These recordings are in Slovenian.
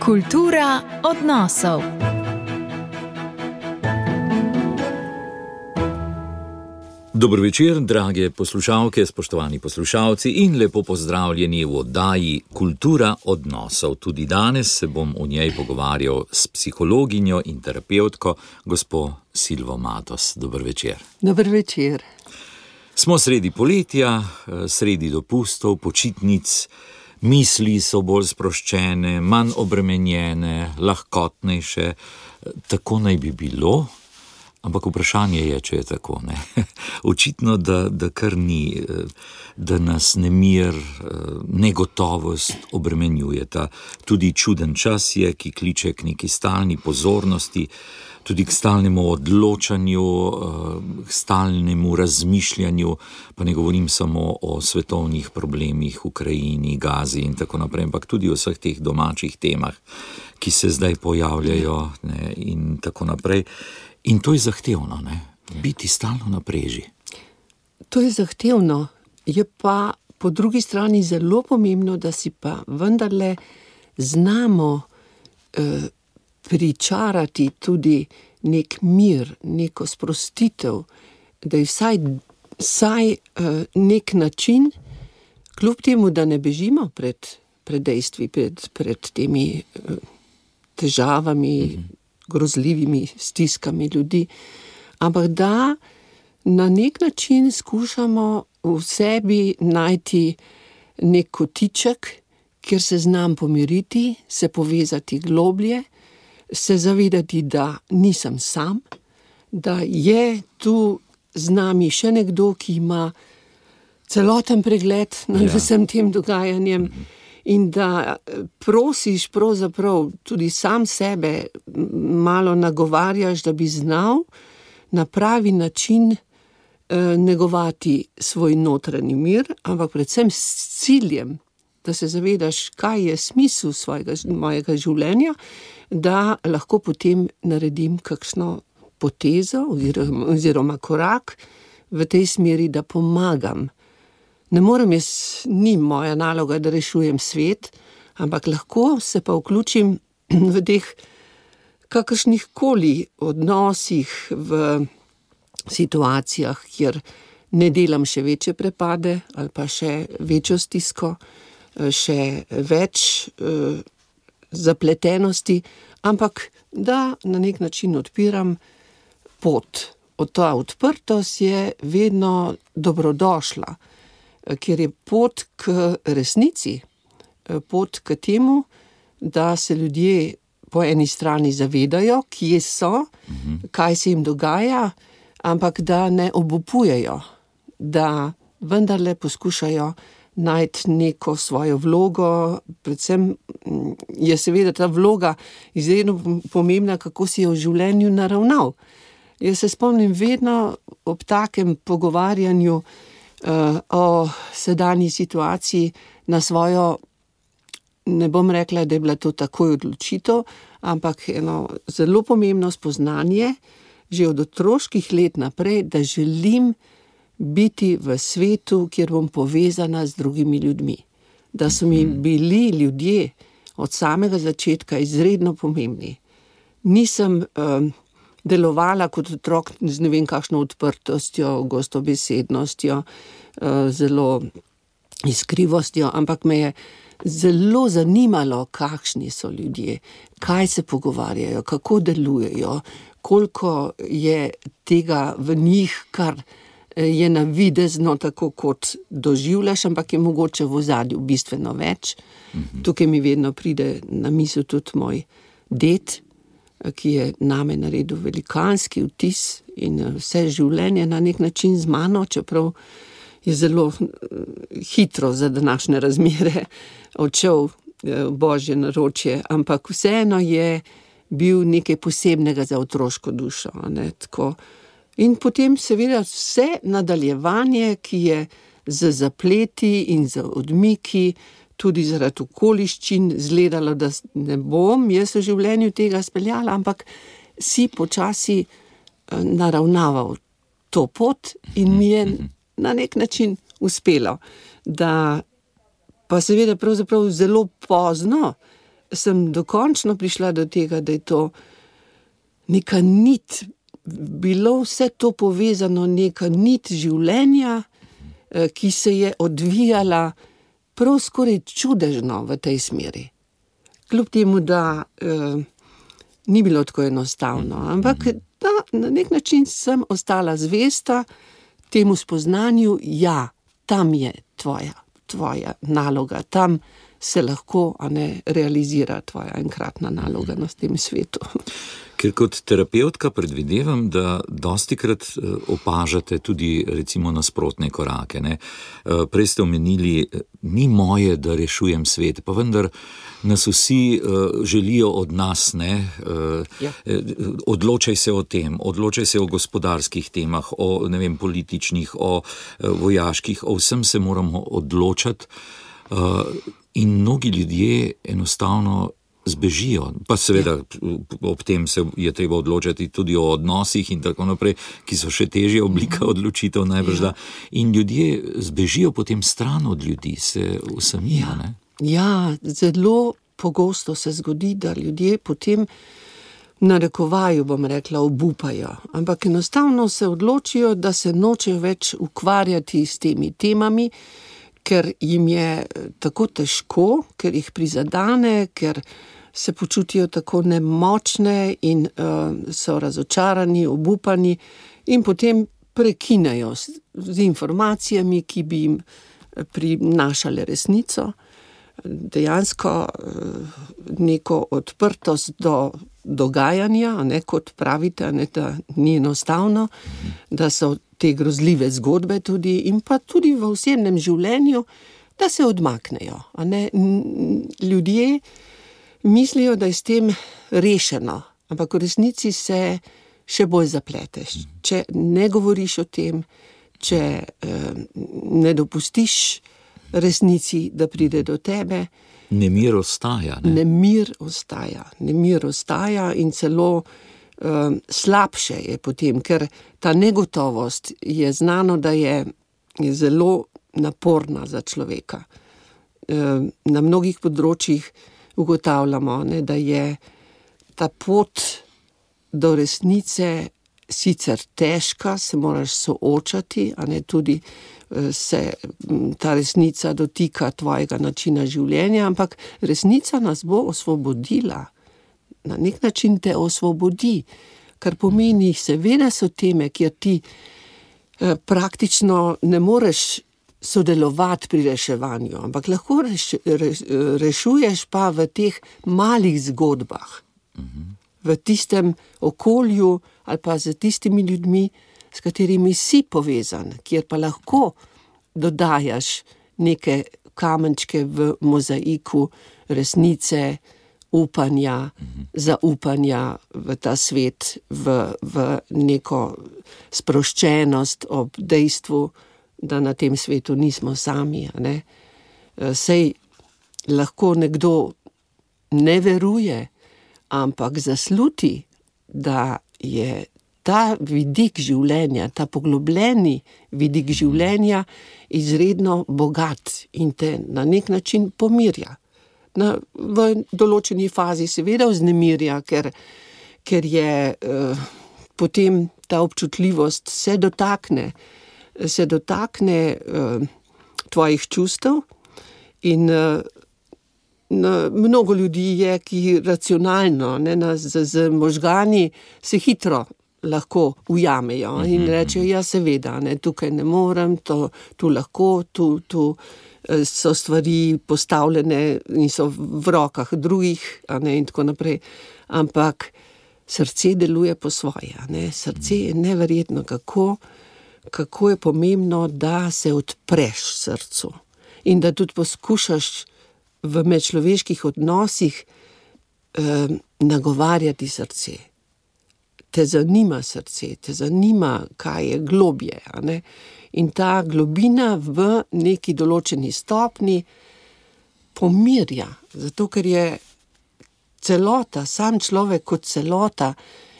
Kultura odnosov. Dobro večer, drage poslušalke, spoštovani poslušalci in lepo pozdravljeni v oddaji Kultura odnosov. Tudi danes se bom v njej pogovarjal s psihologinjo in terapevtko gospo Silvo Matos. Dobro večer. Dobro večer. Smo sredi poletja, sredi dopustov, počitnic, misli so bolj sproščene, manj obremenjene, lahkotnejše. Tako naj bi bilo. Ampak vprašanje je, če je tako, ne. Očitno, da kar ni, da nas nemir, negotovost obremenjujeta. Tudi čuden čas je, ki kliče k neki stalni pozornosti, tudi k stalnemu odločanju, k stalnemu razmišljanju, pa ne govorim samo o svetovnih problemih v Ukrajini, Gazi in tako naprej, ampak tudi o vseh teh domačih temah, ki se zdaj pojavljajo, ne, in tako naprej. In to je zahtevno, ne? Biti stalno na preži. To je zahtevno, je pa po drugi strani zelo pomembno, da si pa vendarle znamo pričarati tudi nek mir, neko sprostitev, da je vsaj nek način, kljub temu, da ne bežimo pred dejstvi, pred temi težavami, grozljivimi stiskami ljudi, ampak da na nek način skušamo v sebi najti nek kotiček, kjer se znam pomiriti, se povezati globlje, se zavedati, da nisem sam, da je tu z nami še nekdo, ki ima celoten pregled nad vsem tem dogajanjem, in da prosiš pravzaprav tudi sam sebe, malo nagovarjaš, da bi znal na pravi način negovati svoj notranji mir, ampak predvsem s ciljem, da se zavedaš, kaj je smisel mojega življenja, da lahko potem naredim kakšno potezo oziroma korak v tej smeri, da pomagam. Ne morem ni moja naloga, da rešujem svet, ampak lahko se pa vključim v teh kakršnih koli odnosih, v situacijah, kjer ne delam še večje prepade ali pa še večjo stisko, še več zapletenosti, ampak da na nek način odpiram pot. Ta odprtost je vedno dobrodošla, ker je pot k resnici, pot k temu, da se ljudje po eni strani zavedajo, kje so, kaj se jim dogaja, ampak da ne obupujejo, da vendarle poskušajo najti neko svojo vlogo, predvsem je seveda ta vloga izredno pomembna, kako si jo v življenju naravnal. Jaz se spomnim vedno ob takem pogovarjanju o sedanji situaciji na svojo, ne bom rekla, da je bila to takoj odločitev, ampak eno zelo pomembno spoznanje, že od otroških let naprej, da želim biti v svetu, kjer bom povezana z drugimi ljudmi. Da so mi bili ljudje od samega začetka izredno pomembni. Nisem delovala kot otrok z ne vem kakšno odprtostjo, gostobesednostjo, zelo iskrivostjo, ampak me je zelo zanimalo, kakšni so ljudje, kaj se pogovarjajo, kako delujejo, koliko je tega v njih, kar je navidezno tako, kot doživljaš, ampak je mogoče v ozadju bistveno več. Tukaj mi vedno pride na misel tudi moj ded, ki je name naredil velikanski vtis in vse življenje na nek način z mano, čeprav je zelo hitro za današnje razmere odšel božje naročje, ampak vseeno je bil nekaj posebnega za otroško dušo, ne, tako. In potem seveda vse nadaljevanje, ki je z zapleti in z odmiki, tudi zaradi okoliščin izgledalo, da ne bom jaz v življenju tega speljala, ampak si počasi naravnaval to pot in mi je na nek način uspelo, da pa seveda pravzaprav zelo pozno sem dokončno prišla do tega, da je to neka nit, bilo vse to povezano, neka nit življenja, ki se je odvijala prav skoraj čudežno v tej smeri. Kljub temu, da ni bilo tako enostavno, ampak da na nek način sem ostala zvesta temu spoznanju, ja, tam je tvoja naloga, tam se lahko realizira tvoja enkratna naloga na tem svetu. Ker kot terapevtka predvidevam, da dostikrat opažate tudi recimo nasprotne korake. Ne? Prej ste omenili, ni moje, da rešujem svet, pa vendar nas vsi želijo od nas, ne? Ja. Odločaj se o tem, odločaj se o gospodarskih temah, o političnih, o vojaških, o vsem se moramo odločati. In mnogi ljudje enostavno zbežijo, pa seveda ob tem se je treba odločati tudi o odnosih in tako naprej, ki so še težja oblika odločitev najbrž da. In ljudje zbežijo potem stran od ljudi, se usamijo, ne? Ja, zelo pogosto se zgodi, da ljudje potem narekovaju, bom rekla, obupajo, ampak enostavno se odločijo, da se nočejo več ukvarjati s temi temami, ker jim je tako težko, ker jih prizadane, ker se počutijo tako nemočne in so razočarani, obupani in potem prekinejo z informacijami, ki bi jim prinašale resnico, dejansko neko odprtost do dogajanja, kot pravite, da ni enostavno, da so te grozljive zgodbe tudi in pa tudi v osebnem življenju, da se odmaknejo. Ljudje mislijo, da je s tem rešeno, ampak v resnici se še bolj zapleteš. Če ne govoriš o tem, če ne dopustiš resnici, da pride do tebe. Nemir ostaja, ne? Nemir ostaja in celo slabše je potem, ker ta negotovost je znano, da je zelo naporna za človeka. Na mnogih področjih ugotavljamo, da je ta pot do resnice sicer težka, se moraš soočati, tudi se ta resnica dotika tvojega načina življenja, ampak resnica nas bo osvobodila. Na nek način te osvobodi, kar pomeni, seveda so teme, kjer ti praktično ne moreš sodelovati pri reševanju, ampak lahko rešuješ pa v teh malih zgodbah, v tistem okolju ali pa z tistimi ljudmi, s katerimi si povezan, kjer pa lahko dodajaš neke kamenčke v mozaiku resnice, upanja, zaupanja v ta svet, v neko sproščenost ob dejstvu, da na tem svetu nismo sami. Sej lahko nekdo ne veruje, ampak zasluti, da je ta vidik življenja, ta poglobljeni vidik življenja izredno bogat in te na nek način pomirja. V določeni fazi seveda vznemirja, ker je potem ta občutljivost se dotakne tvojih čustev in mnogo ljudi je, ki racionalno, z možgani se hitro lahko ujamejo in rečejo, ja seveda, tukaj ne morem, tu lahko, tu so stvari postavljene in so v rokah drugih, in tako naprej. Ampak srce deluje po svoje, Srce je neverjetno, kako je pomembno, da se odpreš srcu in da tudi poskušaš v medčloveških odnosih nagovarjati srce. Te zanima srce, te zanima, kaj je globje, In ta globina v neki določeni stopni pomirja, zato ker je celota, sam človek kot celota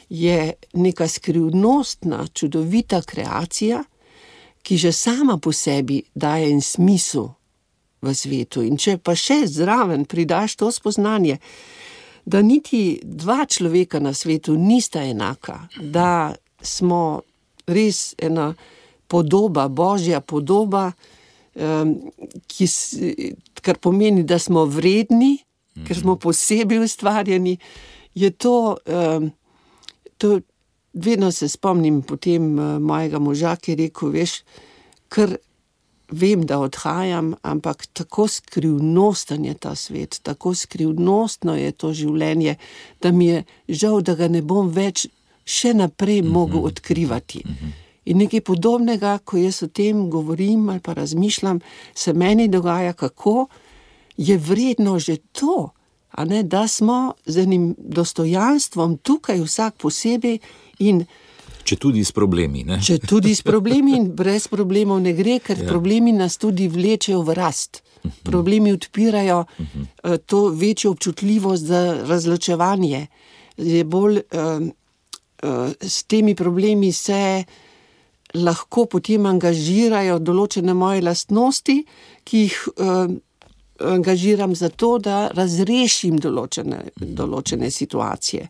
je neka skrivnostna, čudovita kreacija, ki že sama po sebi daje en smisel v svetu. In če pa še zraven pridaš to spoznanje, da niti dva človeka na svetu nista enaka, da smo res ena podoba, božja podoba, kar pomeni, da smo vredni, ker smo posebej ustvarjeni, je to vedno se spomnim potem mojega moža, ki je rekel, veš, ker vem, da odhajam, ampak tako skrivnosten je ta svet, tako skrivnostno je to življenje, da mi je žal, da ga ne bom več še naprej mogel odkrivati. In nekaj podobnega, ko jaz o tem govorim ali pa razmišljam, se meni dogaja, kako je vredno že to, a ne, da smo z enim dostojanstvom tukaj vsak posebej in Če tudi s problemi, ne? Če tudi s problemi in brez problemov ne gre, ker problemi nas tudi vlečejo v rast. Problemi odpirajo to večjo občutljivost za razločevanje. Je bolj s temi problemi se lahko potem angažirajo določene moje lastnosti, ki jih angažiram za to, da razrešim določene situacije.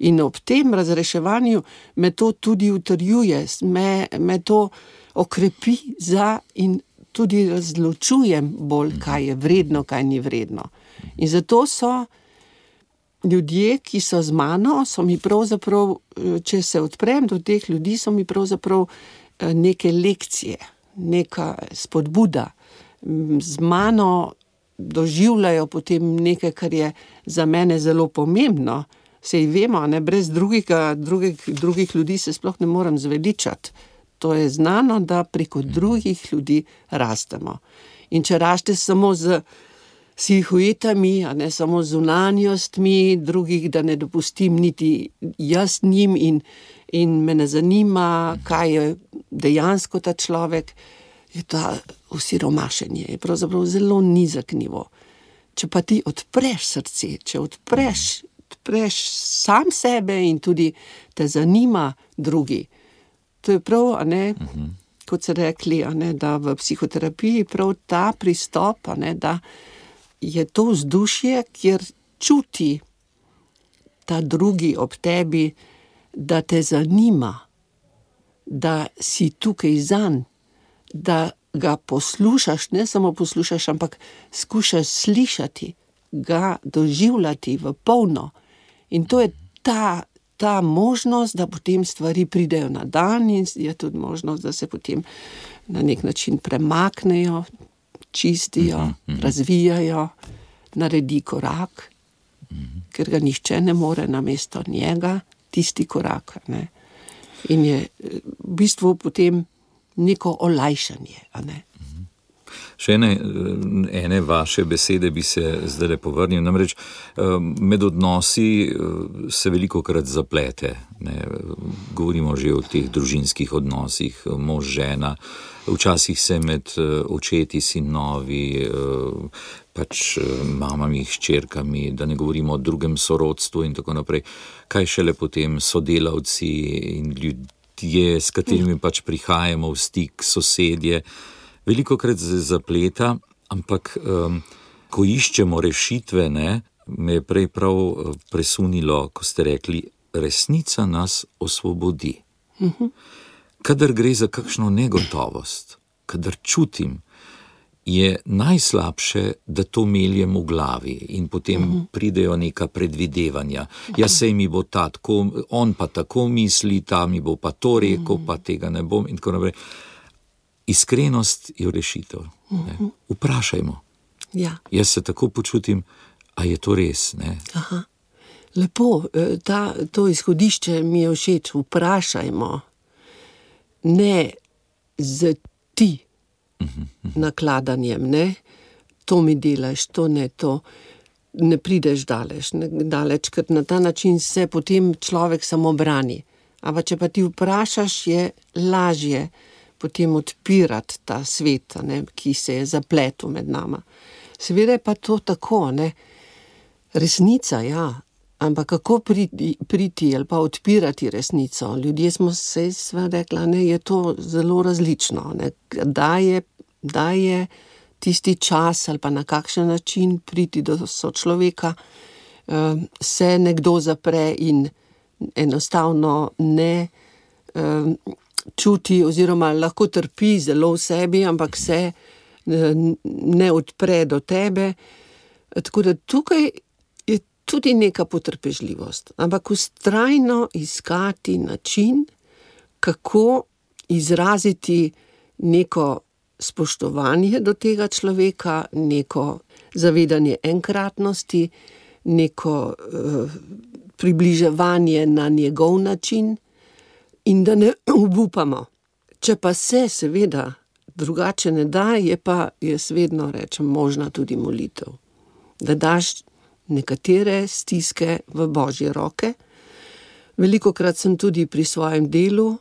In ob tem razreševanju me to tudi utrjuje, me to okrepi in tudi razločujem bolj, kaj je vredno, kaj ni vredno. In zato so ljudje, ki so z mano, so mi pravzaprav, če se odprem do teh ljudi, so mi pravzaprav neke lekcije, neka spodbuda. Z mano doživljajo potem nekaj, kar je za mene zelo pomembno. Sej vemo, ne, brez drugih ljudi se sploh ne morem zveličati. To je znano, da preko drugih ljudi rastemo. In če raste samo z silhuetami, a ne samo z zunanjostmi drugih, da ne dopustim niti jaz njim in me ne zanima, kaj je dejansko ta človek, je ta osiromašenje, je pravzaprav zelo nizek nivo. Če pa ti odpreš srce, če odpreš sam sebe in tudi te zanima drugi, to je prav, a ne, kot se rekli, a ne, da v psihoterapiji prav ta pristop, a ne, da je to vzdušje, kjer čuti ta drugi ob tebi, da te zanima, da si tukaj zanj, da ga poslušaš, ne samo poslušaš, ampak skušaš slišati, ga doživljati v polno. In to je ta možnost, da potem stvari pridejo na dan in je tudi možnost, da se potem na nek način premaknejo, čistijo, razvijajo, naredi korak, ker ga nihče ne more namesto njega, tisti korak. Ne. In je v bistvu potem neko olajšanje, a ne. Še ene vaše besede bi se zdaj povrnil, namreč med odnosi se velikokrat zaplete, ne? Govorimo že o teh družinskih odnosih, mož, žena, včasih se med očeti, sinovi, pač mamami, hčerkami, da ne govorimo o drugem sorodstvu in tako naprej, kaj šele potem sodelavci in ljudje, s katerimi pač prihajamo v stik, sosedje. Velikokrat se zapleta, ampak ko iščemo rešitve, ne, me je prej prav presunilo, ko ste rekli, resnica nas osvobodi. Kadar gre za kakšno negotovost, kadar čutim, je najslabše, da to meljem v glavi in potem pridejo neka predvidevanja. Ja, sej mi bo ta tako, on pa tako misli, ta mi bo pa to rekel, pa tega ne bom in tako naprej. Iskrenost je rešitev. Vprašajmo. Ja. Jaz se tako počutim, a je to res? Ne? Aha. Lepo, to izhodišče mi je všeč, vprašajmo. Ne z ti nakladanjem, ne? To mi delaš, to ne, to ne prideš daleč, ker na ta način se potem človek samo brani. Ampak če pa ti vprašaš, je lažje potem odpirati ta svet, ne, ki se je zapletel med nama. Seveda je pa to tako, ne, resnica, ja, ampak kako priti ali pa odpirati resnico? Ljudje smo se sva rekla, ne, je to zelo različno, ne, da je tisti čas ali pa na kakšen način priti do sočloveka, se nekdo zapre in enostavno ne čuti oziroma lahko trpi zelo v sebi, ampak se ne odpre do tebe. Tako da tukaj je tudi neka potrpežljivost, ampak vztrajno iskati način, kako izraziti neko spoštovanje do tega človeka, neko zavedanje enkratnosti, neko približevanje na njegov način in da ne obupamo. Če pa se seveda drugače ne da, je pa, jaz vedno rečem, možna tudi molitev. Da daš nekatere stiske v Božje roke. Velikokrat sem tudi pri svojem delu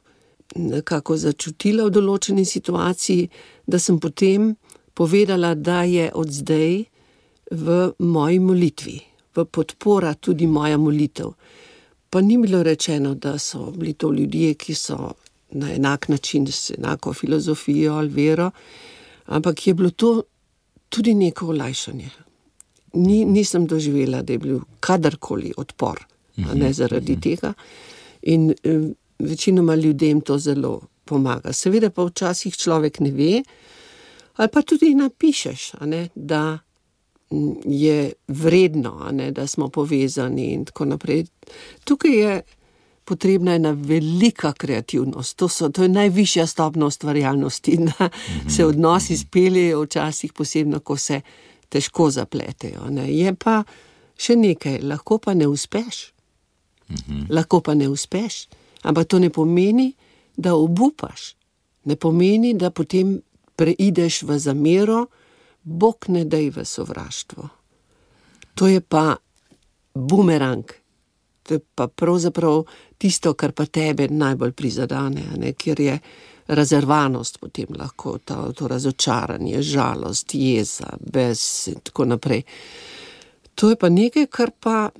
nekako začutila v določeni situaciji, da sem potem povedala, da je od zdaj v moji molitvi, v podpora tudi moja molitev. Pa ni bilo rečeno, da so bili to ljudje, ki so na enak način s enako filozofijo ali vero, ampak je bilo to tudi neko olajšanje. Nisem doživela, da je bil kadarkoli odpor, ne zaradi tega. In večinoma ljudem to zelo pomaga. Seveda pa včasih človek ne ve, ali pa tudi napišeš, da je vredno, da smo povezani in tako naprej. Tukaj je potrebna ena velika kreativnost. To je najvišja stopnja ustvarjalnosti, da se odnosi speljejo včasih posebno, ko se težko zapletejo. Je pa še nekaj, lahko pa ne uspeš. Lahko pa ne uspeš. Ampak to ne pomeni, da obupaš. Ne pomeni, da potem preideš v zamero, Bog ne daj v sovraštvo. To je pa bumerang. To je pa pravzaprav tisto, kar pa tebe najbolj prizadane, ker je razervanost potem lahko, to razočaranje, žalost, jeza, bes in tako naprej. To je pa nekaj, kar pa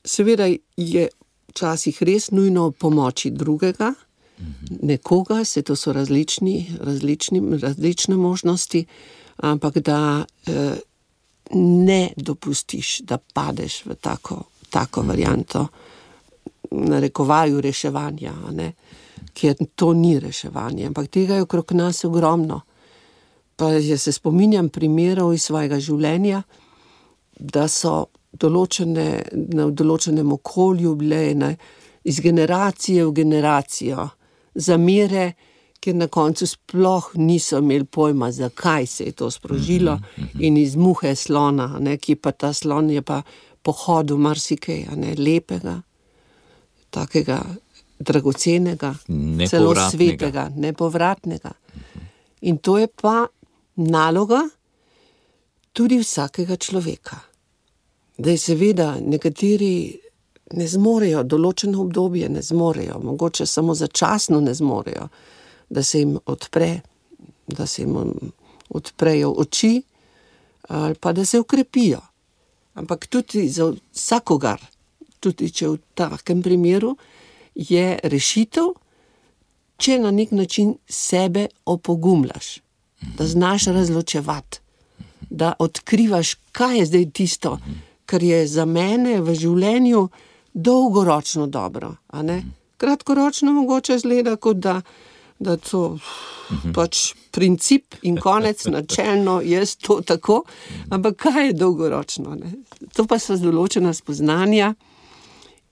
seveda je včasih res nujno pomoči drugega, nekoga, se to so različne možnosti, ampak da ne dopustiš, da padeš v tako varianto, narekovaju reševanja, ker to ni reševanje, ampak tega je okrog nas ogromno. Pa jaz se spominjam primerov iz svojega življenja, da so na določenem okolju bile iz generacije v generacijo zamere, ker na koncu sploh niso imeli pojma, zakaj se je to sprožilo, in iz muhe slona, ki pa ta slon je pa pohodil marsikaj, lepega, takega dragocenega, celo svetega, nepovratnega. In to je pa naloga tudi vsakega človeka. Da je seveda nekateri ne zmorejo, določeno obdobje ne zmorejo, mogoče samo začasno ne zmorejo, da se jim odprejo oči ali pa da se ukrepijo. Ampak tudi za vsakogar, tudi če v takem primeru, je rešitev, če na nek način sebe opogumljaš, da znaš razločevati, da odkrivaš, kaj je zdaj tisto, kar je za mene v življenju dolgoročno dobro. Kratkoročno mogoče zgleda, kot da to pač princip in konec, načelno je to tako, ampak kaj je dolgoročno? To pa so določena spoznanja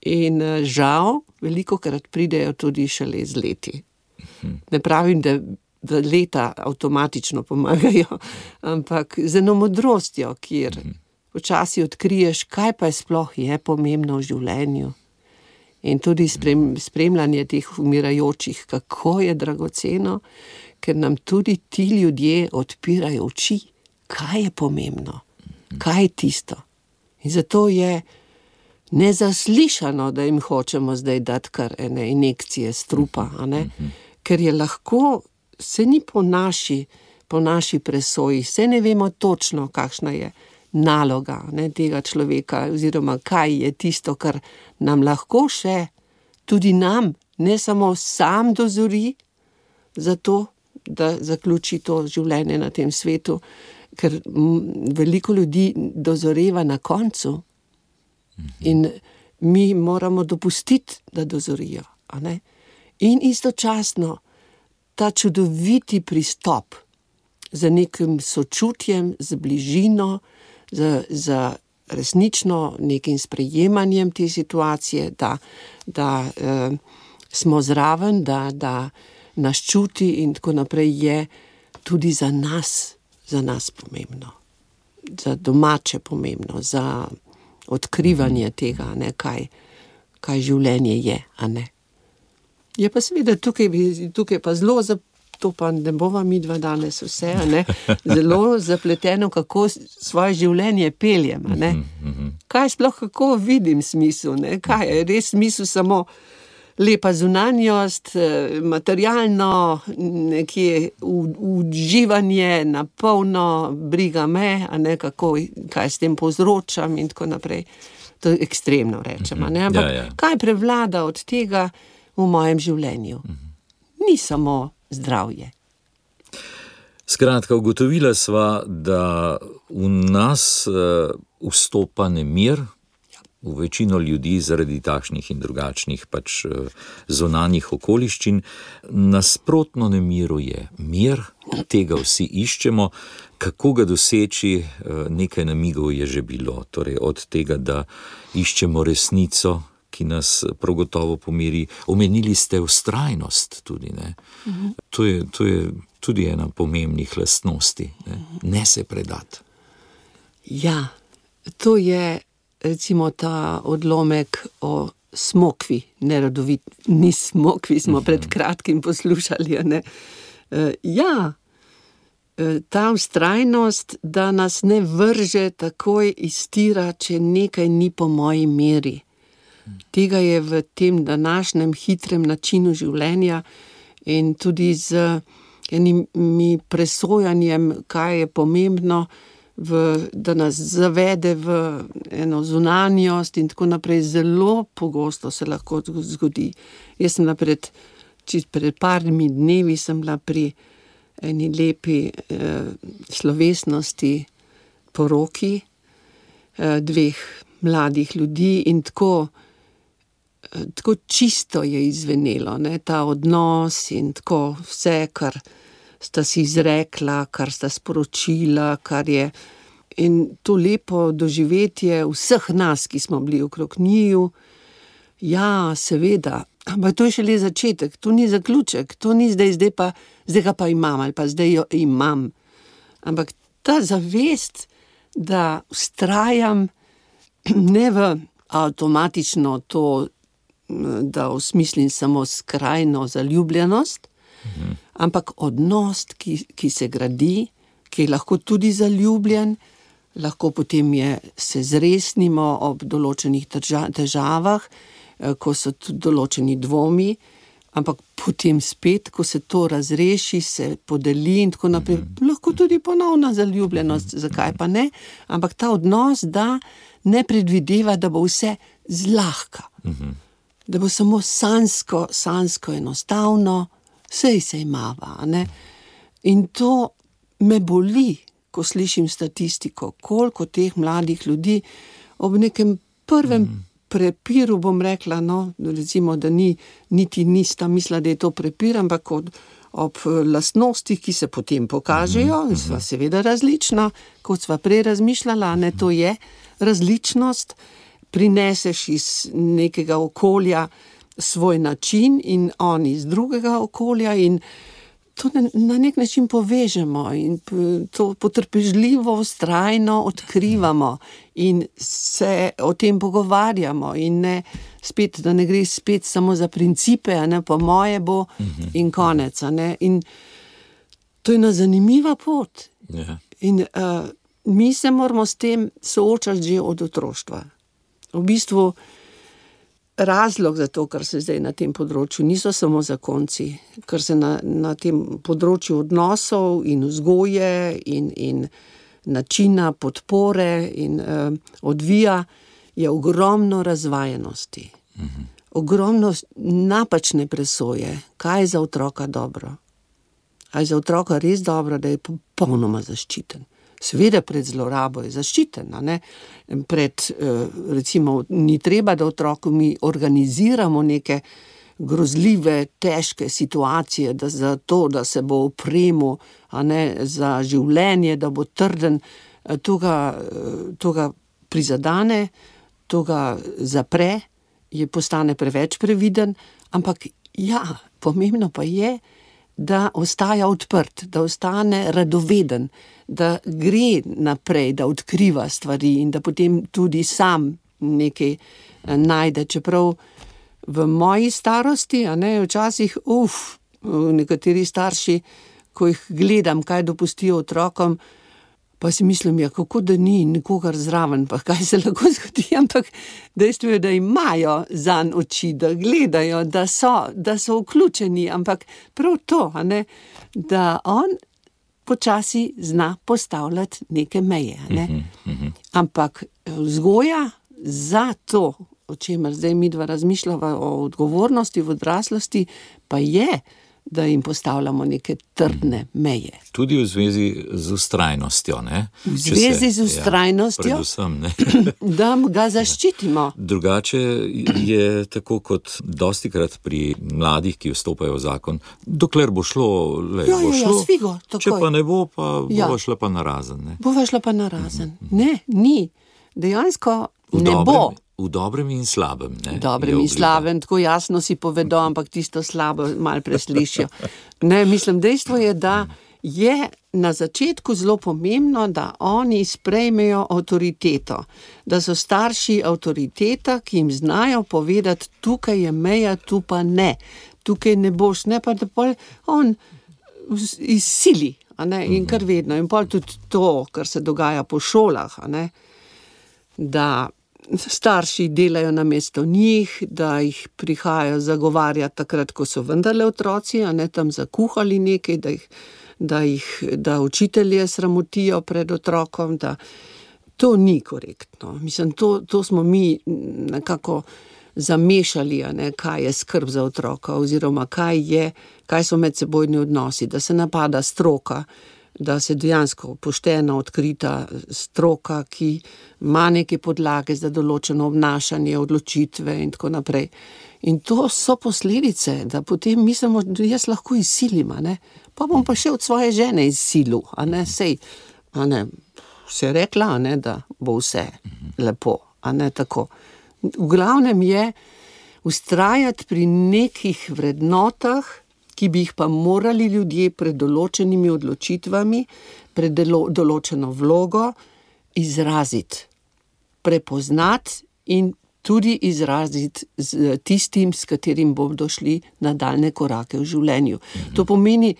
in žal velikokrat pridejo tudi šele z leti. Ne pravim, da leta avtomatično pomagajo, ampak z eno modrostjo, kjer včasih odkriješ, kaj pa sploh je pomembno v življenju. In tudi spremljanje teh umirajočih, kako je dragoceno, ker nam tudi ti ljudje odpirajo oči, kaj je pomembno, kaj je tisto. In zato je nezaslišano, da jim hočemo zdaj dati kar ene injekcije strupa, ker je lahko, se ni po naši presoji, se ne vemo točno, kakšna je naloga tega človeka, oziroma kaj je tisto, kar nam lahko še, tudi nam, ne samo sam dozori za to, da zaključi to življenje na tem svetu ker veliko ljudi dozoreva na koncu in mi moramo dopustiti, da dozorijo. A ne? In istočasno ta čudoviti pristop z nekim sočutjem, z bližino, z resnično nekim sprejemanjem te situacije, da smo zraven, da nas čuti in tako naprej, je tudi za nas pomembno. Za domače pomembno, za odkrivanje tega, ne, kaj življenje je, a ne. Je pa seveda tukaj pa zelo, to pa ne bova midva danes vse, a ne, zelo zapleteno, kako svoje življenje peljem, a ne. Kaj sploh, kako vidim smisel, ne, kaj je res smisel, samo lepa zunanjost, materialno, nekje uživanje na polno, briga me, a ne, kaj s tem povzročam in tako naprej. To je ekstremno rečem, a ne, ampak kaj prevlada od tega v mojem življenju? Ni samo zdravje. Skratka, ugotovila sva, da v nas vstopa nemir, v večino ljudi zaradi takšnih in drugačnih pač zunanjih okoliščin. Nasprotno nemiru je mir, tega vsi iščemo. Kako ga doseči, nekaj namigov je že bilo. Torej od tega, da iščemo resnico, ki nas prav gotovo pomiri. Omenili ste vztrajnost tudi, ne? To je tudi ena pomembnih lastnosti, ne se predati. Ja, to je recimo ta odlomek o smokvi, nerodovitni smokvi smo pred kratkim poslušali, ne? Ja, ta vztrajnost, da nas ne vrže takoj iz tira, če nekaj ni po moji meri. Tega je v tem današnjem hitrem načinu življenja in tudi z enimi presojanjem, kaj je pomembno, da nas zavede v eno zunanjost in tako naprej, zelo pogosto se lahko zgodi. Jaz sem pred parmi dnevi sem bila pri eni lepi slovesnosti poroki dveh mladih ljudi in tako čisto je izvenelo, ne, ta odnos in tako vse, kar sta si izrekla, kar sta sporočila, kar je in to lepo doživetje vseh nas, ki smo bili okrog njiju. Ja, seveda, ampak to je šele začetek, to ni zaključek, to ni zdaj ga pa imam ali pa zdaj jo imam. Ampak ta zavest, da vztrajam ne v avtomatično to, da osmislim samo skrajno zaljubljenost, ampak odnos, ki se gradi, ki je lahko tudi zaljubljen, lahko potem se zresnimo ob določenih težavah, ko so tudi določeni dvomi, ampak potem spet, ko se to razreši, se podeli in tako naprej, lahko tudi ponovna zaljubljenost, zakaj pa ne, ampak ta odnos, da ne predvideva, da bo vse zlahka, da bo samo sanjsko enostavno, sej se imava, ne? In to me boli, ko slišim statistiko, koliko teh mladih ljudi ob nekem prvem prepiru, bom rekla, no, recimo, da niti nista mislila, da je to prepir, ampak ob lastnostih, ki se potem pokažejo, sva seveda različna, kot sva prej razmišljala, ne, to je različnost, prineseš iz nekega okolja svoj način in on iz drugega okolja in to na nek način povežemo in to potrpežljivo, vztrajno odkrivamo in se o tem pogovarjamo in ne spet, da ne gre spet samo za principe, a ne, po moje bo in konec, a ne, in to je ena zanimiva pot. In mi se moramo s tem soočati že od otroštva. V bistvu razlog za to, kar se zdaj na tem področju, niso samo zakonci, kar se na tem področju odnosov in vzgoje in načina podpore in odvija, je ogromno razvajenosti. Ogromno napačne presoje, kaj je za otroka dobro. A je za otroka res dobro, da je popolnoma zaščiten. Seveda pred zlorabo je zaščiten, a ne? Recimo, ni treba, da otroku mi organiziramo neke grozljive, težke situacije, za to, da se bo opremil, a ne, za življenje, da bo trden, to ga prizadane, to ga zapre, postane preveč previden, ampak ja, pomembno pa je, da ostaja odprt, da ostane radoveden, da gre naprej, da odkriva stvari in da potem tudi sam nekaj najde, čeprav v moji starosti, a ne, včasih, nekateri starši, ko jih gledam, kaj dopustijo otrokom, pa si mislim, kako da ni nikogar zraven, pa kaj se lahko zgodi, ampak dejstvo je, da imajo zanj oči, da gledajo, da so vključeni, ampak prav to, a ne, da on počasi zna postavljati neke meje, a ne. Ampak vzgoja za to, o čemer zdaj midva razmišljava o odgovornosti v odraslosti, pa je, da jim postavljamo neke trdne meje. Tudi v zvezi z vztrajnostjo, ne? V zvezi z vztrajnostjo, predvsem, ne? Da ga zaščitimo. Drugače je tako kot dostikrat pri mladih, ki vstopajo v zakon, dokler bo šlo, bo šlo, svigo, takoj. Če pa ne bo, pa bova šla pa narazen, ne? Bova šla pa narazen. Ne, ni. Dejansko ne bo. V dobrem in slabem, ne? Dobrem in slabem, tako jasno si povedo, ampak tisto slabo malo preslišijo. Ne, mislim, dejstvo je, da je na začetku zelo pomembno, da oni sprejmejo avtoriteto, da so starši avtoriteta, ki jim znajo povedati, tukaj je meja, tu pa ne. Tukaj ne boš, ne pa da pol on izsili, a ne, in kar vedno. In pol tudi to, kar se dogaja po šolah, a ne, da starši delajo namesto njih, da jih prihajajo zagovarjati takrat, ko so vendarle otroci, a ne tam zakuhali nekaj, da učitelje sramotijo pred otrokom, da to ni korektno. Mislim, to smo mi nekako zamešali, a ne, kaj je skrb za otroka, oziroma kaj so medsebojni odnosi, da se napada stroka, da se dejansko poštena, odkrita stroka, ki ima neke podlage za določeno obnašanje, odločitve in tako naprej. In to so posledice, da potem mislimo, da jaz lahko izsilim, a ne, pa bom pa še od svoje žene izsilil, a ne, sej, a ne, se rekla, a ne, da bo vse lepo, a ne tako. V glavnem je vztrajati pri nekih vrednotah, ki bi jih pa morali ljudje pred določenimi odločitvami, pred določeno vlogo izraziti, prepoznati in tudi izraziti z tistim, s katerim bodo šli nadaljnje korake v življenju. To pomeni,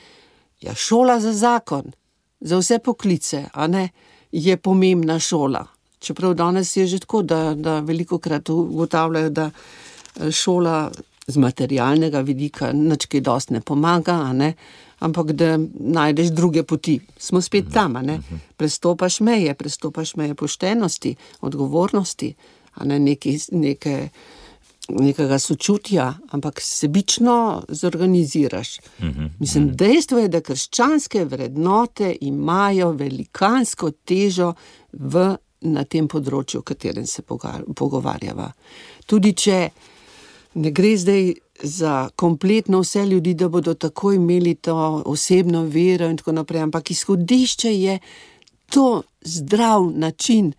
šola za zakon, za vse poklice, a ne, je pomembna šola. Čeprav danes je že tako, da velikokrat ugotavljajo, da šola z materialnega vidika nič kaj dosti ne pomaga, a ne, ampak da najdeš druge poti. Smo spet tam, a ne, prestopaš meje poštenosti, odgovornosti, a ne, nekega sočutja, ampak sebično zorganiziraš. Mislim, dejstvo je, da krščanske vrednote imajo velikansko težo na tem področju, o katerem se pogovarjava. Tudi če ne gre zdaj za kompletno vse ljudi, da bodo tako imeli to osebno vero in tako naprej, ampak izhodišče je to zdrav način,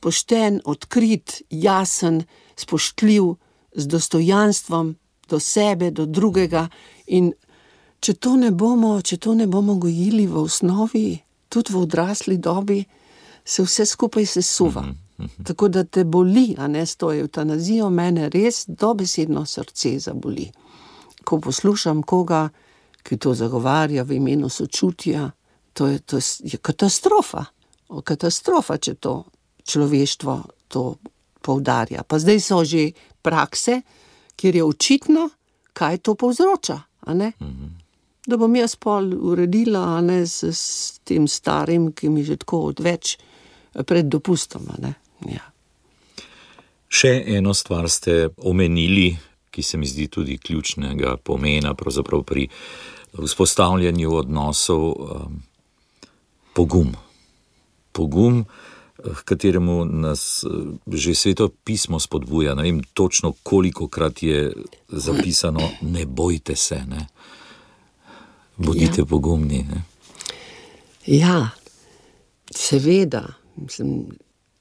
pošten, odkrit, jasen, spoštljiv, z dostojanstvom do sebe, do drugega. In če to ne bomo gojili v osnovi, tudi v odrasli dobi, se vse skupaj sesuva. Tako da te boli, a ne, s to evtanazijo, mene res dobesedno srce zaboli. Ko poslušam koga, ki to zagovarja v imenu sočutja, to je katastrofa. Katastrofa, če to človeštvo to poudarja. Pa zdaj so že prakse, kjer je očitno, kaj to povzroča, a ne? Da bom jaz pol uredila, a ne, s tem starim, ki mi že tako odveč pred dopustom, a ne. Ja. Še eno stvar ste omenili, ki se mi zdi tudi ključnega pomena pravzaprav pri vzpostavljanju odnosov, pogum. pogum, h kateremu nas že Sveto pismo spodbuja. Ne vem točno, kolikokrat je zapisano, ne bojte se, ne. Bodite pogumni, ne. Ja, seveda,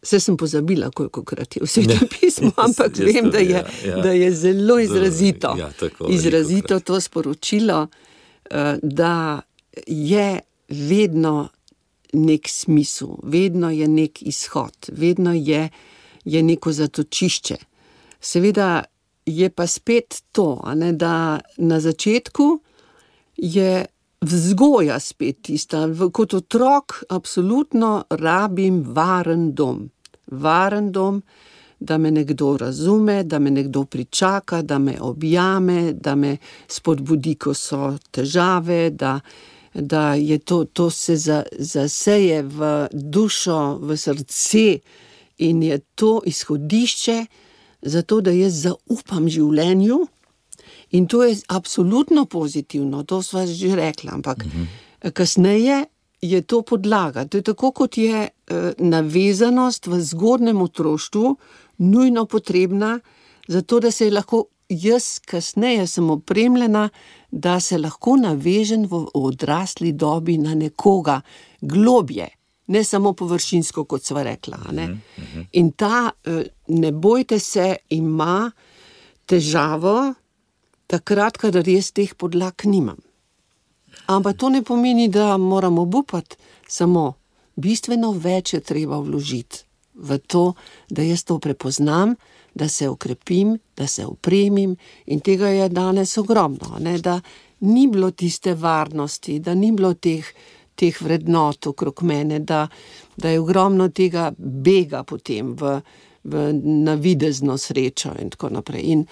saj sem pozabila, kolikokrat je v Svetem pismu, ampak vem, da je zelo izrazito, izrazito to sporočilo, da je vedno nek smisel, vedno je nek izhod, vedno je neko zatočišče. Seveda je pa spet to, ne, da na začetku je vzgoja spet tista. Kot otrok absolutno rabim varen dom. Varen dom, da me nekdo razume, da me nekdo pričaka, da me objame, da me spodbudi, ko so težave, da je to se zaseje v dušo, v srce in je to izhodišče zato, da jaz zaupam življenju. In to je absolutno pozitivno, to sva že rekla, ampak kasneje je to podlaga. To je tako, kot je navezanost v zgodnjem otroštvu nujno potrebna, zato da se lahko jaz kasneje sem opremljena, da se lahko navežem v odrasli dobi na nekoga globje, ne samo površinsko, kot sva rekla. Ne? In ta, ne bojte se, ima težavo takrat, kadar jaz teh podlag nimam. Ampak to ne pomeni, da moram obupati, samo bistveno več je treba vložiti v to, da jaz to prepoznam, da se okrepim, da se opremim in tega je danes ogromno, ne? Da ni bilo tiste varnosti, da ni bilo teh vrednot okrog mene, da je ogromno tega bega potem v navidezno srečo in tako naprej. In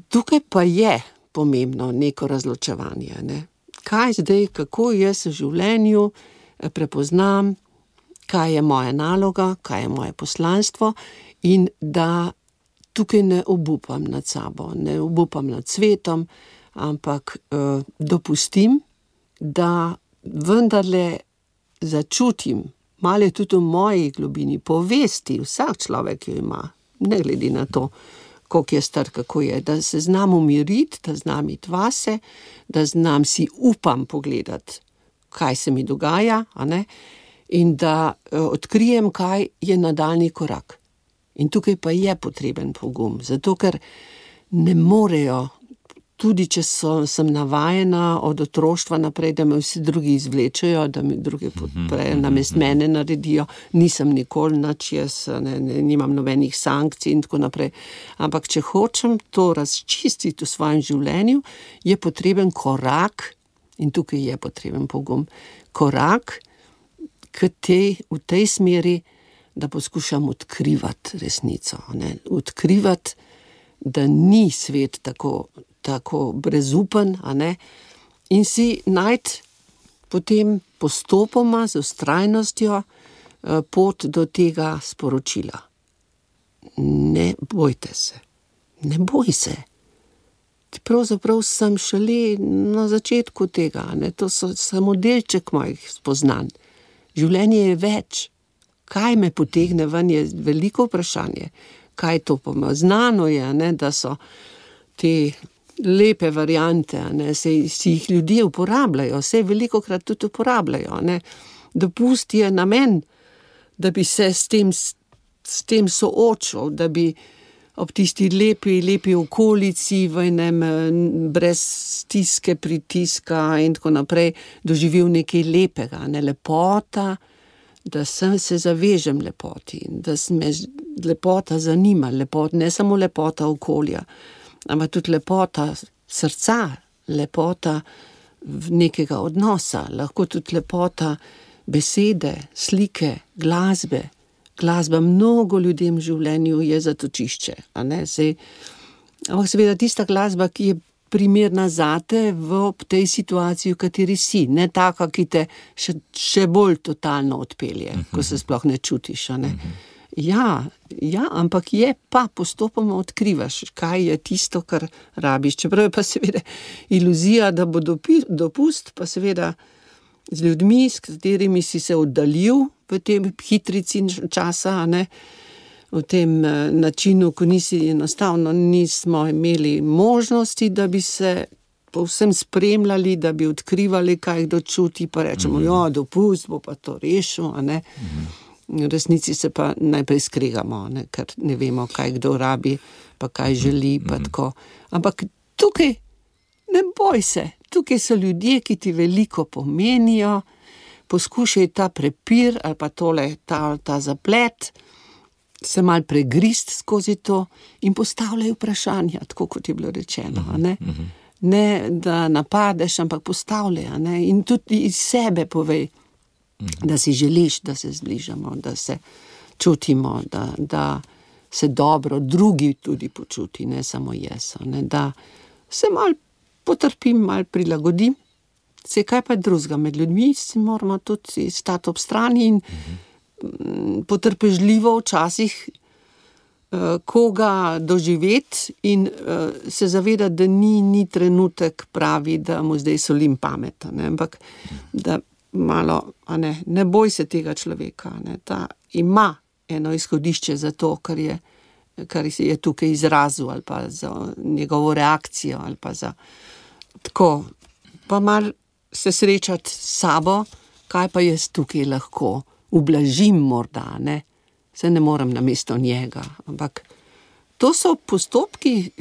tukaj pa je pomembno neko razločevanje, ne? Kaj zdaj, kako jaz v življenju prepoznam, kaj je moja naloga, kaj je moje poslanstvo in da tukaj ne obupam nad sabo, ne obupam nad svetom, ampak dopustim, da vendarle začutim, malo je tudi v moji globini, povesti, vsak človek jo ima, ne glede na to, koliko je star, kako je, da se znam umiriti, da znam iti vase, da znam si upam pogledati, kaj se mi dogaja, a ne? In da odkrijem, kaj je nadaljnji korak. In tukaj pa je potreben pogum, zato ker ne morejo, tudi če sem navajena od otroštva naprej, da me vsi drugi izvlečejo, da mi drugi podprejo, namest mene naredijo, nisem nikoli nič, jaz nimam nobenih sankcij in tako naprej. Ampak če hočem to razčistiti v svojem življenju, je potreben korak, in tukaj je potreben pogum, korak v tej smeri, da poskušam odkrivati resnico, ne? Odkrivati, da ni svet tako brezupen, a ne? In si najti potem postopoma z vztrajnostjo pot do tega sporočila. Ne bojte se, ne boj se. Pravzaprav sem šele na začetku tega, ne? To so samo delček mojih spoznanj. Življenje je več. Kaj me potegne ven, je veliko vprašanje. Kaj to pomeni? Znano je, ne, da so te lepe variante, ne, si jih ljudje uporabljajo, se velikokrat tudi uporabljajo, ne. Dopust je namen, da bi se s tem soočil, da bi ob tisti lepi okolici v enem brez stiske, pritiska in tako naprej doživel nekaj lepega, ne, lepota, da se zavežem lepoti, da me lepota zanima, ne samo lepota okolja, ampak tudi lepota srca, lepota nekega odnosa, lahko tudi lepota besede, slike, glasbe. Glasba mnogo ljudem v življenju je zatočišče, a ne, ampak seveda tista glasba, ki je primerna zate v tej situaciji, v kateri si, ne taka, ki te še bolj totalno odpelje, ko se sploh ne čutiš, a ne. Ja, ampak je pa postopoma odkrivaš, kaj je tisto, kar rabiš, čeprav je pa seveda iluzija, da bo dopust, pa seveda z ljudmi, s katerimi si se oddaljil, v tem hitrici časa, a ne, v tem načinu, ko enostavno nismo imeli možnosti, da bi se povsem spremljali, da bi odkrivali, kaj kdo čuti, pa rečemo, ja, dopust, bo pa to rešil, a ne. V resnici se pa najprej skregamo, ne, ker ne vemo, kaj kdo rabi, pa kaj želi, pa tako. Ampak tukaj ne boj se, tukaj so ljudje, ki ti veliko pomenijo, poskušaj ta prepir ali pa ta zaplet, se malo pregrist skozi to in postavljaj vprašanja, tako kot je bilo rečeno, a ne. Ne, da napadeš, ampak postavljaj, a ne, in tudi iz sebe povej, da si želiš, da se zbližamo, da se čutimo, da se dobro drugi tudi počuti, ne samo jaz, ne, da se malo potrpim, malo prilagodim, se kaj pa drugega, med ljudmi si moramo tudi stati ob strani in potrpežljivo včasih koga doživeti in se zavedati, da ni trenutek pravi, da mu zdaj solim pamet, ne, ampak da malo, a ne boj se tega človeka, ne, ta ima eno izhodišče za to, kar je tukaj izrazil, ali pa za njegovo reakcijo, ali pa za tako, pa malo se srečati s sabo, kaj pa jaz tukaj lahko ublažim morda, ne, se ne morem namesto njega, ampak to so postopki,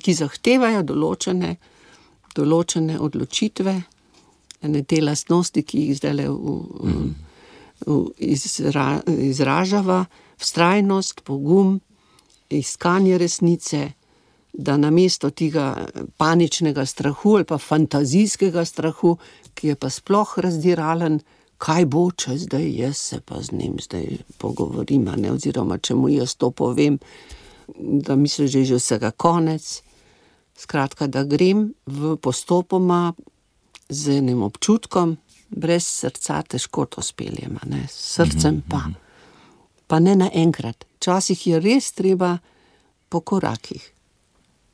ki zahtevajo določene odločitve, te lastnosti, ki jih zdajle izražava, vztrajnost, pogum, iskanje resnice, da namesto tega paničnega strahu ali pa fantazijskega strahu, ki je pa sploh razdiralen, kaj bo, če zdaj jaz se pa z njim zdaj pogovorim, ne, oziroma če mu jaz to povem, da misliš, že vsega konec. Skratka, da grem v postopoma z enim občutkom, brez srca težko to speljem, ne, s srcem pa ne naenkrat. Včasih je res treba po korakih.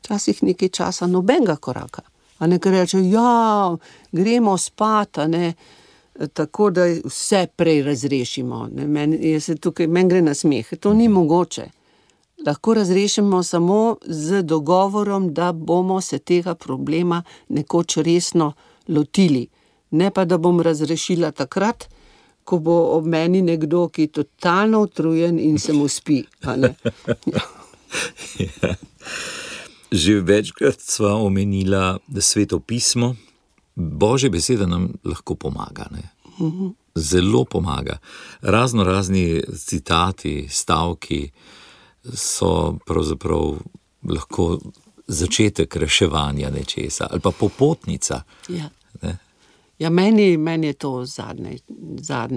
Včasih nekaj časa nobenega koraka. A ne, ker reče, ja, gremo spat, a ne, tako da vse prej razrešimo. Meni gre na smeh. To ni mogoče. Lahko razrešimo samo z dogovorom, da bomo se tega problema nekoč resno lotili. Ne pa, da bom razrešila takrat, ko bo ob meni nekdo, ki je totalno utrujen in se mu spi. A ne? Ja. Že večkrat sva omenila Sveto pismo. Božja beseda nam lahko pomaga, ne? Zelo pomaga. Razni citati, stavki so pravzaprav lahko začetek reševanja nečesa ali pa popotnica. Ja. Ne? Ja, meni je to zadnje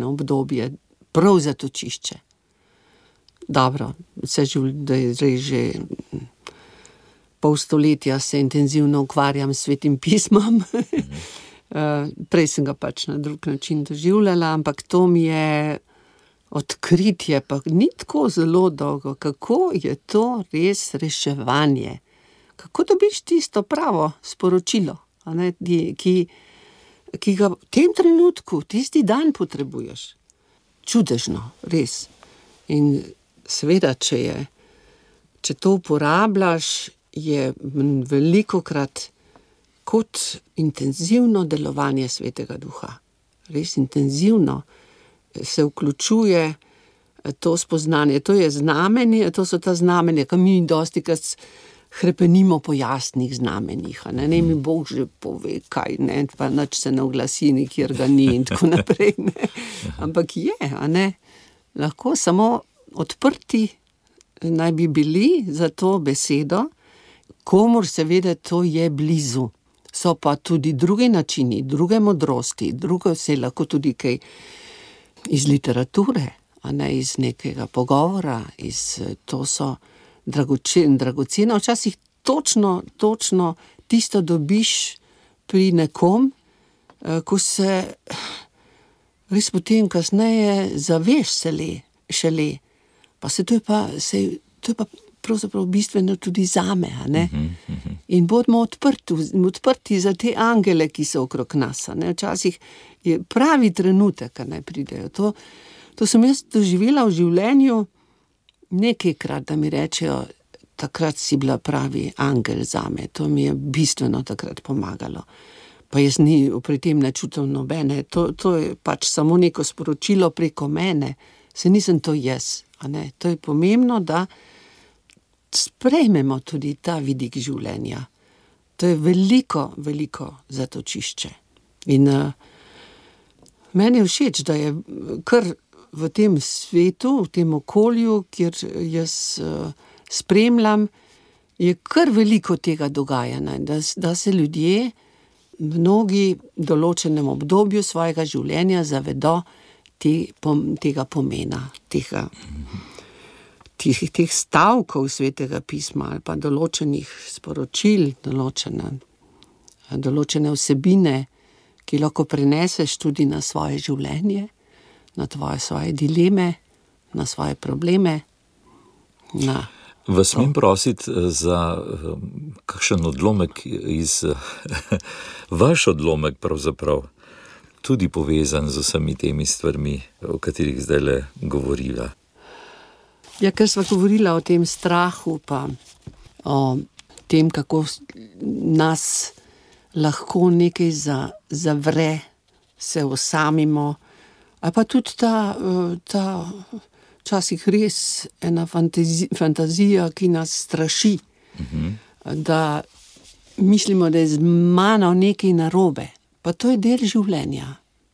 obdobje prav zatočišče. Dobro, da je zdaj že pol stoletja se intenzivno ukvarjam s Svetim pismom. Prej sem ga pač na drug način doživljala, ampak to mi je odkritje, pa ni tako zelo dolgo, kako je to res reševanje. Kako dobiš tisto pravo sporočilo, a ne, ki ga v tem trenutku, tisti dan potrebuješ. Čudežno, res. In seveda, če to uporabljaš, je velikokrat kot intenzivno delovanje Svetega Duha. Res intenzivno se vključuje to spoznanje. To je znamenje, to so ta znamenja, ki mi dostikrat hrepenimo po jasnih znamenjih. Ne mi Bog že pove, kaj, ne, pa nič se ne oglasi, nikjer ga ni in tako naprej. Ne. Ampak je, a ne, lahko samo odprti naj bi bili za to besedo, komur seveda to je blizu. So pa tudi drugi načini, druge modrosti, drugo se lahko tudi kaj iz literature, a ne iz nekega pogovora, to so dragoceno, včasih točno tisto dobiš pri nekom, ko se res potem kasneje zaveš šele. Pa to to je pa pravzaprav bistveno tudi zame, a ne? In bodimo odprti za te angele, ki so okrog nas, a ne? Včasih je pravi trenutek, a ne, pridejo. To sem jaz doživela v življenju nekajkrat, da mi rečejo, takrat si bila pravi angel zame. To mi je bistveno takrat pomagalo. Pa jaz pri tem ne čutim nobene. To je pač samo neko sporočilo preko mene. Se nisem to jaz, a ne. To je pomembno, da sprejmemo tudi ta vidik življenja. To je veliko, veliko zatočišče. In meni je všeč, da je kar v tem svetu, v tem okolju, kjer jaz spremljam, je kar veliko tega dogajanja, da se ljudje mnogi v določenem obdobju svojega življenja zavedo tega pomena, teh stavkov Svetega pisma ali pa določenih sporočil, določene vsebine, ki lahko preneseš tudi na svoje življenje, na svoje dileme, na svoje probleme. Vas smem prositi za kakšen odlomek iz vaš odlomek pravzaprav, tudi povezan z vsemi temi stvarmi, o katerih zdajle govoriva. Ja, ker sva govorila o tem strahu, pa o tem, kako nas lahko nekaj zavre, se osamimo, ali pa tudi ta včasih res ena fantazija, ki nas straši, da mislimo, da je z mano nekaj narobe. Pa to je del življenja,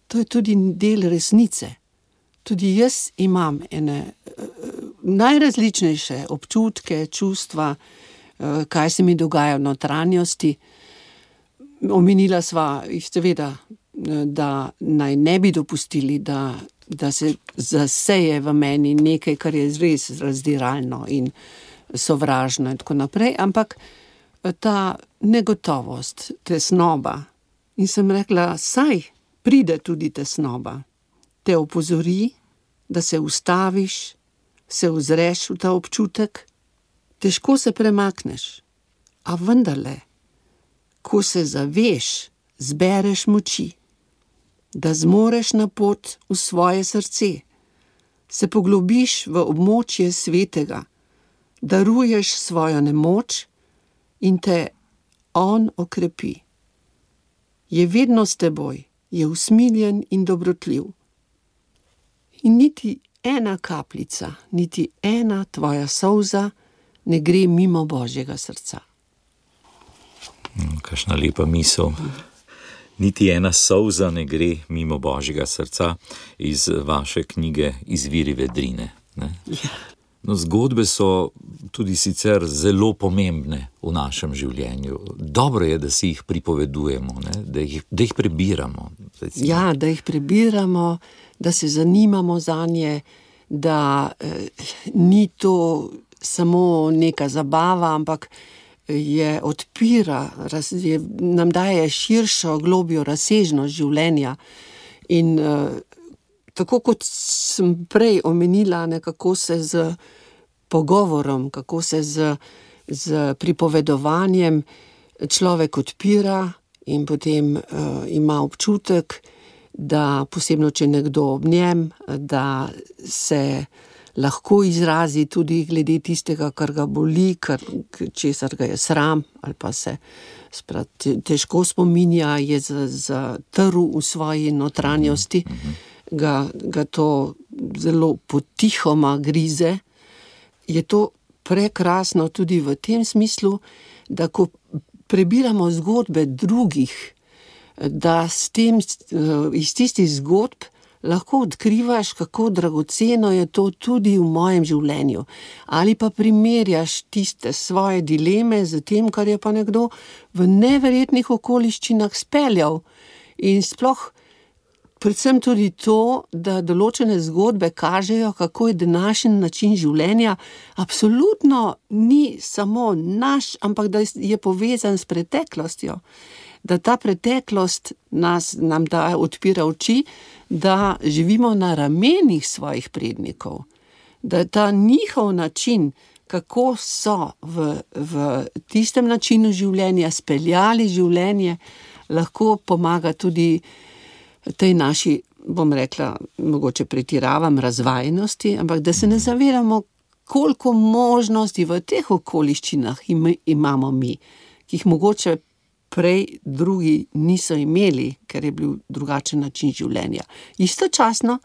to je tudi del resnice. Tudi jaz imam najrazličnejše občutke, čustva, kaj se mi dogaja v notranjosti. Omenila sva jih seveda, da naj ne bi dopustili, da se zaseje v meni nekaj, kar je res razdiralno in sovražno in tako naprej, ampak ta negotovost, tesnoba. In sem rekla, saj pride tudi tesnoba. Te opozori, da se ustaviš, se ozreš v ta občutek, težko se premakneš, a vendarle, ko se zaveš, zbereš moči, da zmoreš na pot v svoje srce, se poglobiš v območje svetega, daruješ svojo nemoč in te on okrepi. Je vedno s teboj, je usmiljen in dobrotljiv. In niti ena kapljica, niti ena tvoja solza ne gre mimo Božjega srca. Kakšna lepa misel. Niti ena solza ne gre mimo Božjega srca, iz vaše knjige Izviri vedrine. Ne? Ja. No, zgodbe so tudi sicer zelo pomembne v našem življenju. Dobro je, da si jih pripovedujemo, ne? Da jih prebiramo. Recimo. Ja, da jih prebiramo, da se zanimamo zanje, da ni to samo neka zabava, ampak je odpira, nam daje širšo, globjo razsežnost življenja. In tako kot sem prej omenila, nekako se z pogovorom, kako se z pripovedovanjem človek odpira in potem ima občutek, da posebno, če nekdo ob njem, da se lahko izrazi tudi glede tistega, kar ga boli, česar ga je sram, ali pa se težko spominja, je zatrl v svoji notranjosti, ga to zelo potihoma grize. Je to prekrasno tudi v tem smislu, da ko prebiramo zgodbe drugih, da s tem iz tistih zgodb lahko odkrivaš, kako dragoceno je to tudi v mojem življenju. Ali pa primerjaš tiste svoje dileme z tem, kar je pa nekdo v neverjetnih okoliščinah speljal. In sploh predvsem tudi to, da določene zgodbe kažejo, kako je današnji način življenja absolutno ni samo naš, ampak da je povezan s preteklostjo. Da ta preteklost nam odpira oči, da živimo na ramenih svojih prednikov. Da ta njihov način kako so v tistem načinu življenja speljali življenje, lahko pomaga tudi tej naši, bom rekla, mogoče pretiravam, razvajenosti, ampak da se ne zavedamo, koliko možnosti v teh okoliščinah imamo mi, ki jih mogoče prej drugi niso imeli, ker je bil drugačen način življenja. Istočasno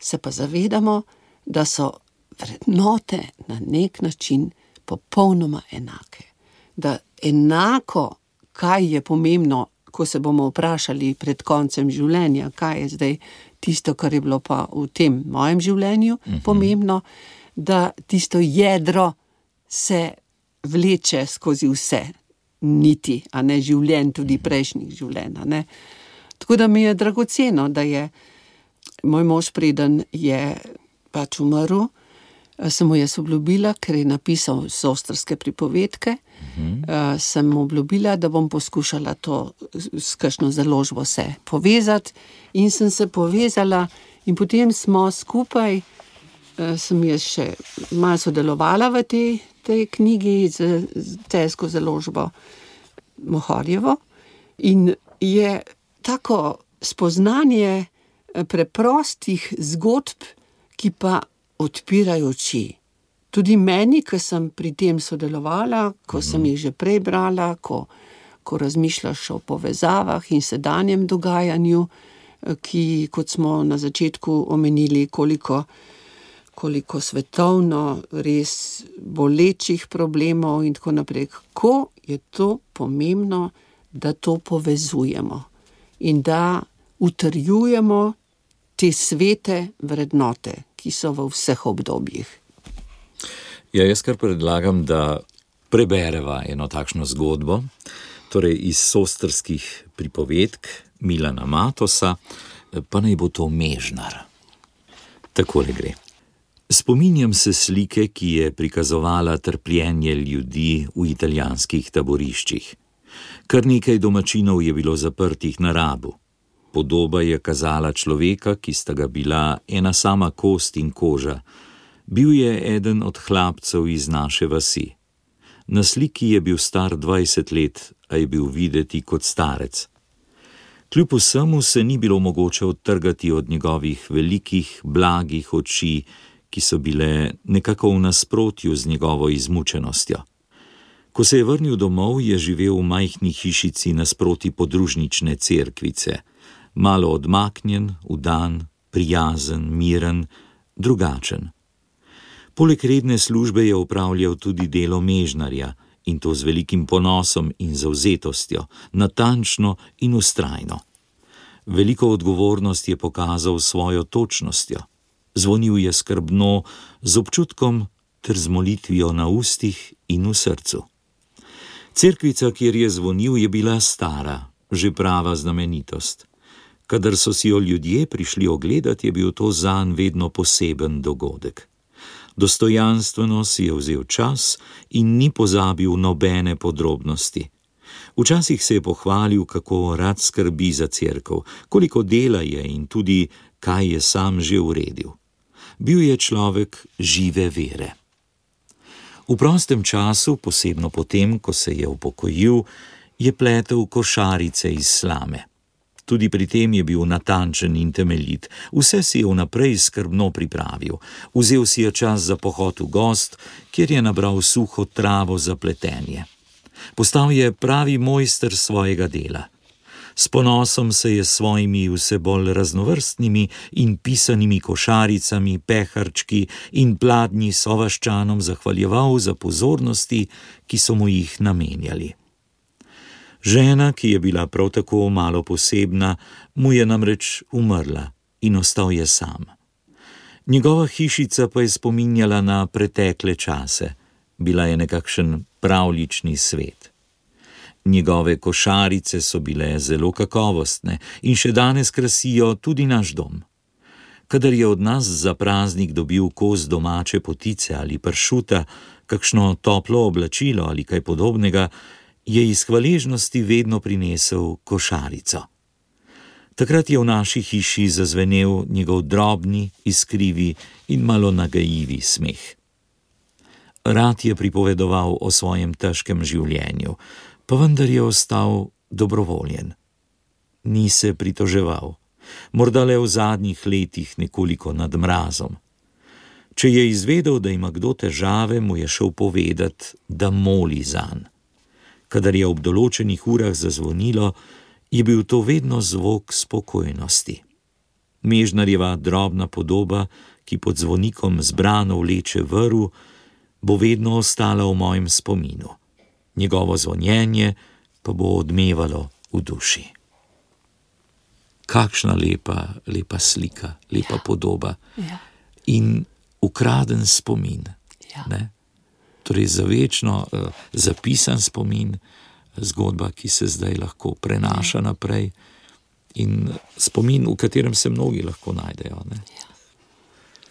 se pa zavedamo, da so vrednote na nek način popolnoma enake. Da enako, kaj je pomembno, ko se bomo vprašali pred koncem življenja, kaj je zdaj tisto, kar je bilo pa v tem mojem življenju pomembno, da tisto jedro se vleče skozi vse niti, a ne življenj, tudi prejšnjih življenj, a ne. Tako da mi je dragoceno, da je moj mož, preden je pač umrl, sem mu jaz obljubila, ker je napisal Sostrske pripovedke, sem mu obljubila, da bom poskušala to s kakšno založbo se povezati in sem se povezala in potem smo skupaj, sem jaz še malo sodelovala v tej knjigi z celjsko založbo Mohorjevo in je tako spoznanje preprostih zgodb, ki pa odpirajo oči. Tudi meni, ko sem pri tem sodelovala, ko sem jih že prej brala, ko razmišljaš o povezavah in sedanjem dogajanju, ki, kot smo na začetku omenili, koliko svetovno res bolečih problemov in tako naprej. Kako je to pomembno, da to povezujemo in da utrjujemo te svete vrednote, ki so v vseh obdobjih. Ja, jaz kar predlagam, da prebereva eno takšno zgodbo, torej iz Sostrskih pripovedk Milana Matosa, pa naj bo to Mežnar. Takole gre. Spominjam se slike, ki je prikazovala trpljenje ljudi v italijanskih taboriščih. Kar nekaj domačinov je bilo zaprtih na Rabu. Podoba je kazala človeka, ki sta ga bila ena sama kost in koža. Bil je eden od hlapcev iz naše vasi. Na sliki je bil star 20 let, a je bil videti kot starec. Kljub vsemu se ni bilo mogoče odtrgati od njegovih velikih, blagih oči, ki so bile nekako v nasprotju z njegovo izmučenostjo. Ko se je vrnil domov, je živel v majhni hišici nasproti podružnične cerkvice. Malo odmaknjen, vdan, prijazen, miren, drugačen. Poleg redne službe je opravljal tudi delo mežnarja in to z velikim ponosom in zavzetostjo, natančno in vztrajno. Veliko odgovornost je pokazal s svojo točnostjo. Zvonil je skrbno, z občutkom ter z molitvijo na ustih in v srcu. Cerkvica, kjer je zvonil, je bila stara, že prava znamenitost. Kadar so si jo ljudje prišli ogledati, je bil to zanj vedno poseben dogodek. Dostojanstveno si je vzel čas in ni pozabil nobene podrobnosti. Včasih se je pohvalil, kako rad skrbi za cerkev, koliko dela je in tudi, kaj je sam že uredil. Bil je človek žive vere. V prostem času, posebno potem, ko se je upokojil, je pletel košarice iz slame. Tudi pri tem je bil natančen in temeljit. Vse si je vnaprej skrbno pripravil. Vzel si je čas za pohod v gozd, kjer je nabral suho travo za pletenje. Postal je pravi mojster svojega dela. S ponosom se je s svojimi vse bolj raznovrstnimi in pisanimi košaricami, peharčki in pladnji sovaščanom zahvaljeval za pozornosti, ki so mu jih namenjali. Žena, ki je bila prav tako malo posebna, mu je namreč umrla in ostal je sam. Njegova hišica pa je spominjala na pretekle čase. Bila je nekakšen pravljični svet. Njegove košarice so bile zelo kakovostne in še danes krasijo tudi naš dom. Kadar je od nas za praznik dobil kos domače potice ali pršuta, kakšno toplo oblačilo ali kaj podobnega, je iz hvaležnosti vedno prinesel košarico. Takrat je v naši hiši zazvenel njegov drobni, iskrivi in malo nagajivi smeh. Rad je pripovedoval o svojem težkem življenju, pa vendar je ostal dobrovoljen. Ni se pritoževal, morda le v zadnjih letih nekoliko nad mrazom. Če je izvedel, da ima kdo težave, mu je šel povedat, da moli zanj. Kadar je ob določenih urah zazvonilo, je bil to vedno zvok spokojnosti. Mežnarjeva drobna podoba, ki pod zvonikom zbrano vleče vrv, bo vedno ostala v mojem spominu. Njegovo zvonjenje pa bo odmevalo v duši. Kakšna lepa slika, lepa podoba. Ja. In ukraden spomin. Ja. Ne? Torej za večno zapisan spomin, zgodba, ki se zdaj lahko prenaša naprej in spomin, v katerem se mnogi lahko najdejo. Ne?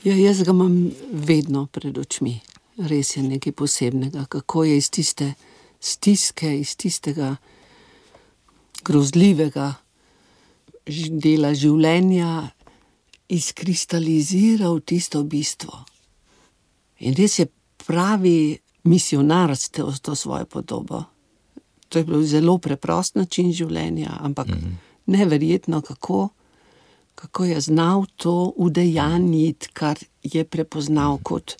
Ja, jaz ga imam vedno pred očmi. Res je nekaj posebnega, kako je iz tiste stiske, iz tistega grozljivega dela življenja izkristaliziral tisto bistvo. In res je pravi misionar s to svojo podobo. To je bil zelo preprost način življenja, ampak neverjetno, kako je znal to udejanjiti, kar je prepoznal kot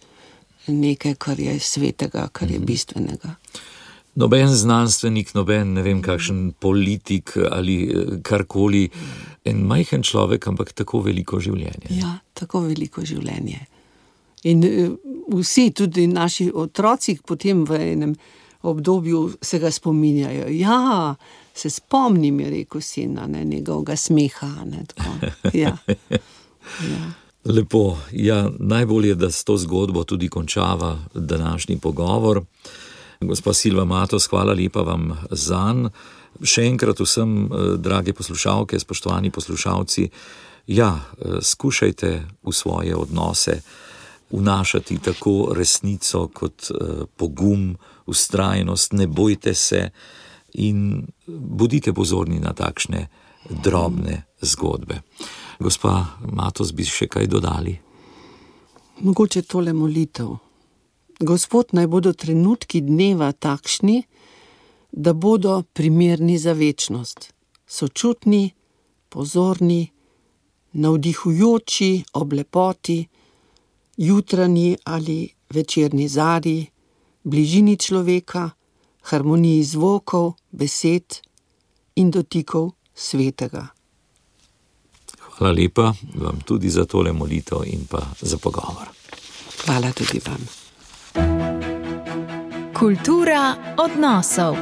nekaj, kar je svetega, kar je bistvenega. Noben znanstvenik, noben, ne vem, kakšen politik ali karkoli, en majhen človek, ampak tako veliko življenje. Ja, tako veliko življenje. In vsi, tudi naši otroci, potem v enem obdobju se ga spominjajo. Ja, se spomnim, je rekel sin, njegovega smeha. Ja. Ja. Lepo, ja, najbolje, da s to zgodbo tudi končava današnji pogovor. Gospa Silva Matos, hvala lepa vam zanj. Še enkrat vsem, drage poslušalke, spoštovani poslušalci, ja, skušajte v svoje odnose vnašati tako resnico kot pogum, vztrajnost, ne bojte se in bodite pozorni na takšne drobne zgodbe. Gospa Matos, bi še kaj dodali? Mogoče tole molitev. Gospod, naj bodo trenutki dneva takšni, da bodo primerni za večnost. Sočutni, pozorni, navdihujoči ob lepoti, jutranji ali večerni zarji, bližini človeka, harmoniji zvokov, besed in dotikov svetega. Hvala lepa vam tudi za tole molitev in pa za pogovor. Hvala tudi vam. Kultura odnosov.